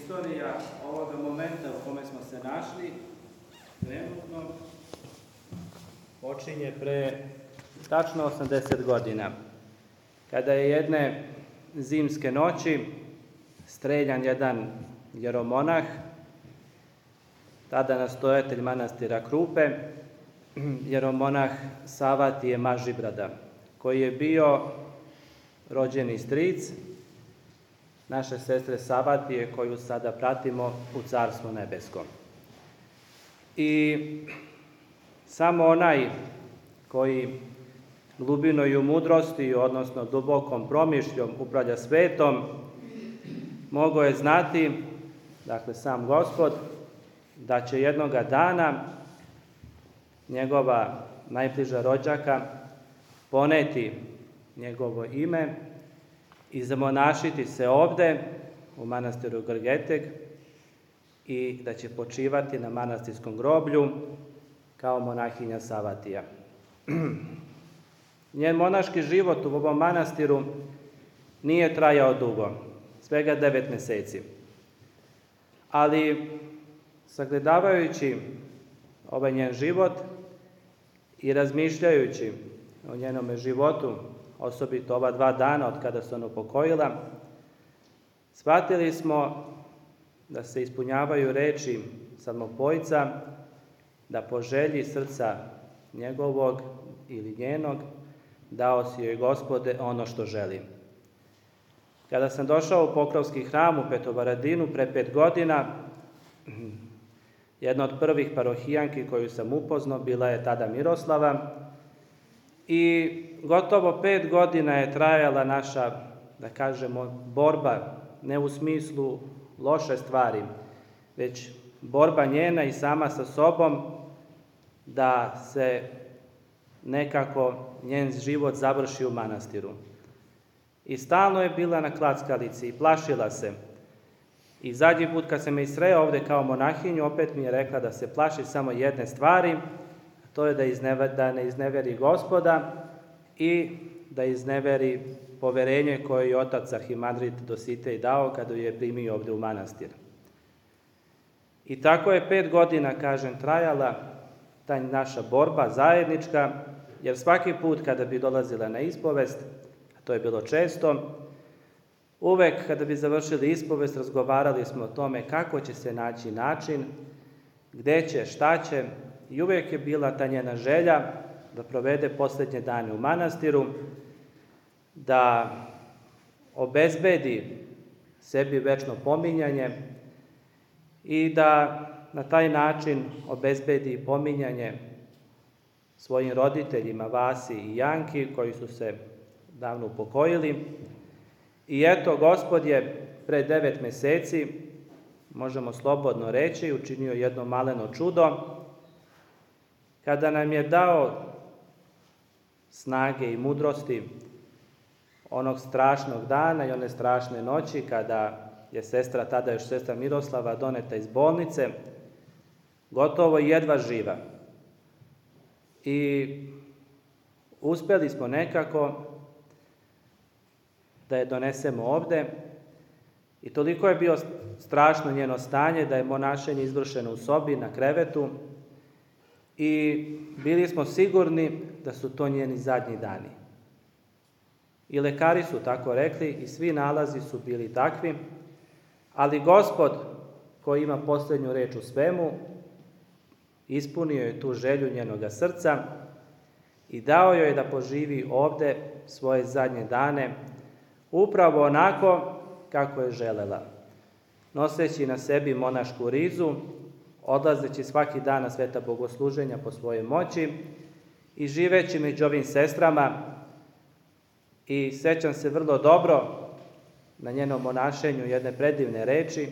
istorija ovoga momenta u kome smo se našli trenutno počinje pre tačno 80 godina, kada je jedne zimske noći streljan jedan jeromonah, tada nastojatelj manastira Krupe, jeromonah Savatije Mažibrada, koji je bio rođeni stric naše sestre Savatije, koju sada pratimo u Carstvu nebeskom. I samo onaj koji glubinoj mudrosti, odnosno dubokom promišljom upravlja svetom, mogao je znati, dakle sam Gospod, da će jednoga dana njegova najbliža rođaka poneti njegovo ime i zamonašiti se ovde u manastiru Grgeteg i da će počivati na manastirskom groblju kao monahinja Savatija. Njen monaški život u ovom manastiru nije trajao dugo, svega 9 meseci. Ali, sagledavajući ovaj njen život i razmišljajući o njenome životu, osobito ova 2 dana od kada se ona upokojila, shvatili smo da se ispunjavaju reči Psalmopojca, da po želji srca njegovog ili njenog dao si joj Gospode ono što želi. Kada sam došao u Pokrovski hram u Petrovaradinu pre 5 godina, jedna od prvih parohijanki koju sam upoznao bila je tada Miroslava i gotovo 5 godina je trajala naša, da kažemo, borba, ne u smislu loše stvari, već borba njena i sama sa sobom da se nekako njen život završi u manastiru. I stalno je bila na klackalici i plašila se. I zadnji put kad sam je sreo ovde kao monahinju, opet mi je rekla da se plaši samo jedne stvari, a to je da ne izneveri Gospoda i da izneveri poverenje koje je otac arhimandrit Dositej dao kada je primio ovde u manastir. I tako je 5 godina, kažem, trajala ta naša borba zajednička, jer svaki put kada bi dolazila na ispovest, a to je bilo često, uvek kada bi završili ispovest, razgovarali smo o tome kako će se naći način, gde će, šta će, i uvek je bila ta njena želja da provede poslednje dane u manastiru, da obezbedi sebi večno pominjanje i da na taj način obezbedi pominjanje svojim roditeljima Vasi i Janki, koji su se davno upokojili. I eto, Gospod je pre 9 meseci, možemo slobodno reći, učinio jedno maleno čudo, kada nam je dao snage i mudrosti onog strašnog dana i one strašne noći kada je sestra, tada još sestra Miroslava, doneta iz bolnice, gotovo jedva živa. I uspeli smo nekako da je donesemo ovde i toliko je bio strašno njeno stanje da je monašenje izvršeno u sobi na krevetu i bili smo sigurni da su to njeni zadnji dani. I lekari su tako rekli i svi nalazi su bili takvi, ali Gospod, koji ima poslednju reč u svemu, ispunio je tu želju njenoga srca i dao joj da poživi ovde svoje zadnje dane upravo onako kako je želela, noseći na sebi monašku rizu, odlazeći svaki dan na sveta bogosluženja po svojoj moći i živeći među ovim sestrama. I sećam se vrlo dobro na njenom monašenju jedne predivne reči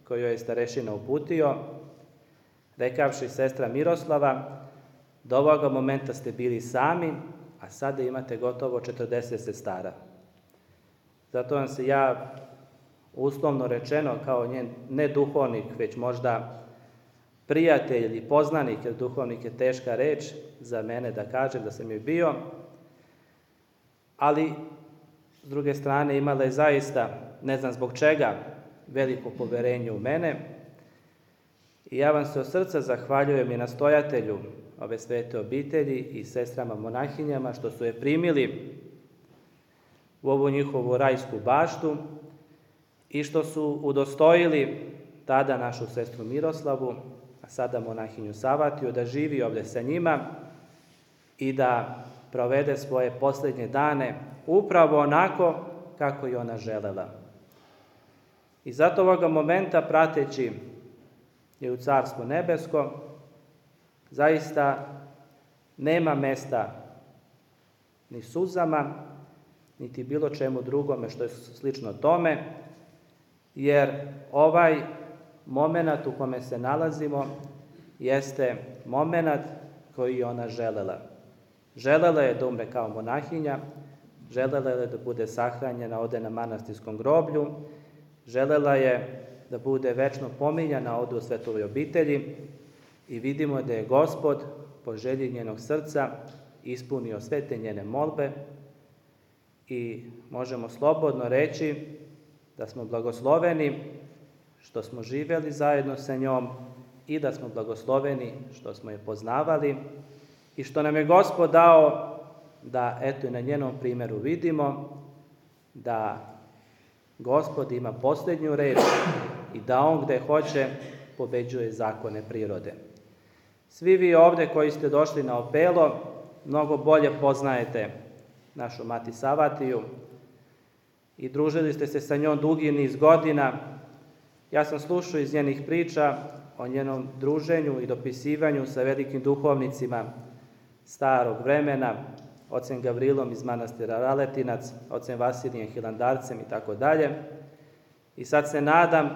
koju je starešina uputio, rekavši: sestra Miroslava, do ovoga momenta ste bili sami, a sada imate gotovo 40 sestara. Zato vam se ja, uslovno rečeno, kao njen ne duhovnik, već možda prijatelj ili poznanik, jer duhovnik je teška reč za mene da kažem da sam joj bio, ali s druge strane imala je zaista, ne znam zbog čega, veliko poverenje u mene. I ja vam se od srca zahvaljujem i nastojatelju ove svete obitelji i sestrama monahinjama što su je primili u ovu njihovu rajsku baštu i što su udostojili tada našu sestru Miroslavu, a sada monahinju Savatiju, da živi ovdje sa njima i da provede svoje posljednje dane upravo onako kako je ona želela. I zato ovoga momenta, prateći je u Carstvo nebesko, zaista nema mesta ni suzama, niti bilo čemu drugome što je slično tome, jer ovaj momenat u kome se nalazimo jeste momenat koji je ona želela. Želela je da umre kao monahinja, želela je da bude sahranjena ovde na manastirskom groblju, želela je da bude večno pominjana ovde u svetovoj obitelji i vidimo da je Gospod po želji njenog srca ispunio sve te njene molbe i možemo slobodno reći da smo blagosloveni što smo živjeli zajedno sa njom i da smo blagosloveni što smo je poznavali i što nam je Gospod dao da eto i na njenom primjeru vidimo da Gospod ima posljednju reč i da on gde hoće pobeđuje zakone prirode. Svi vi ovde koji ste došli na Opelo mnogo bolje poznajete našu mati Savatiju i družili ste se sa njom dugi niz godina. Ja sam slušao iz njenih priča o njenom druženju i dopisivanju sa velikim duhovnicima starog vremena, ocem Gavrilom iz manastira Raletinac, ocem Vasilijem Hilandarcem i tako dalje. I sad se nadam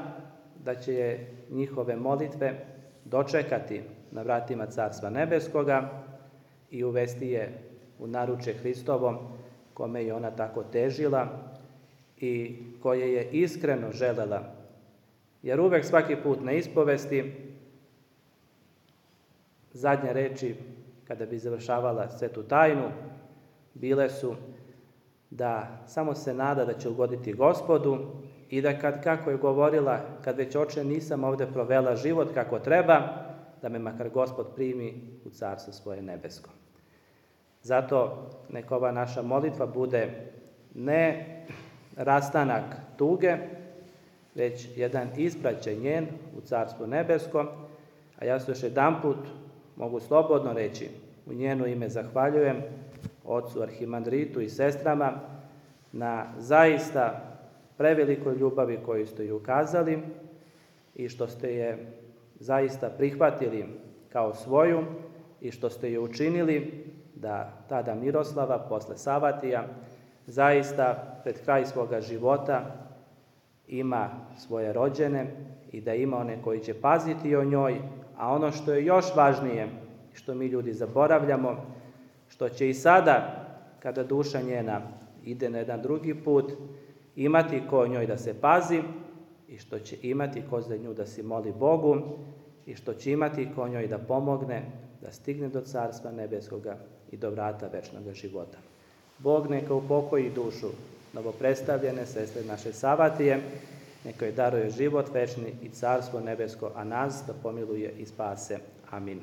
da će je njihove molitve dočekati na vratima Carstva nebeskoga i uvesti je u naručje Hristovom, kome je ona tako težila i koje je iskreno želela. Jer uvek svaki put na ispovesti zadnje reči kada bi završavala svetu tajnu bile su da samo se nada da će ugoditi Gospodu i da kako je govorila, kad već oče nisam ovde provela život kako treba, da me makar Gospod primi u carstvo svoje nebesko. Zato neka ova naša molitva bude ne rastanak tuge, već jedan ispraćaj njen u carstvo nebesko, a ja se još jedanput mogu slobodno reći, u njeno ime zahvaljujem ocu arhimandritu i sestrama na zaista prevelikoj ljubavi koju ste ju ukazali i što ste je zaista prihvatili kao svoju i što ste je učinili da tada Miroslava, posle Savatija, zaista pred kraj svoga života ima svoje rođene i da ima one koji će paziti o njoj, a ono što je još važnije, što mi ljudi zaboravljamo, što će i sada, kada duša njena ide na jedan drugi put, imati ko o njoj da se pazi i što će imati ko za nju da se moli Bogu i što će imati ko njoj da pomogne da stigne do Carstva nebeskoga i do vrata večnog života. Bog neka upokoji dušu novopredstavljene sestre naše Savatije, neka joj daruje život večni i Carstvo nebesko, a nas da pomiluje i spase. Amin.